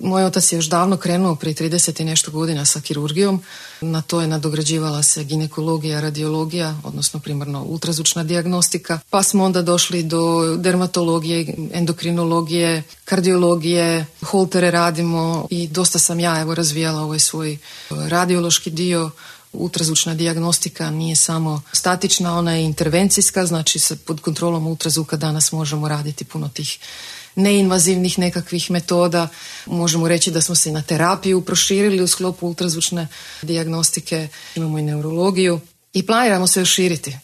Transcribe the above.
Moj otac je još davno krenuo prije 30 i nešto godina sa kirurgijom. Na to je nadograđivala se ginekologija, radiologija, odnosno primarno ultrazvučna dijagnostika. Pa smo onda došli do dermatologije, endokrinologije, kardiologije, holtere radimo i dosta sam ja razvijala ovaj svoj radiološki dio. Ultrazvučna dijagnostika nije samo statična, ona je intervencijska, znači pod kontrolom ultrazvuka danas možemo raditi puno tih neinvazivnih nekakvih metoda. Možemo reći da smo se i na terapiju proširili u sklopu ultrazvučne dijagnostike, imamo i neurologiju i planiramo se još širiti.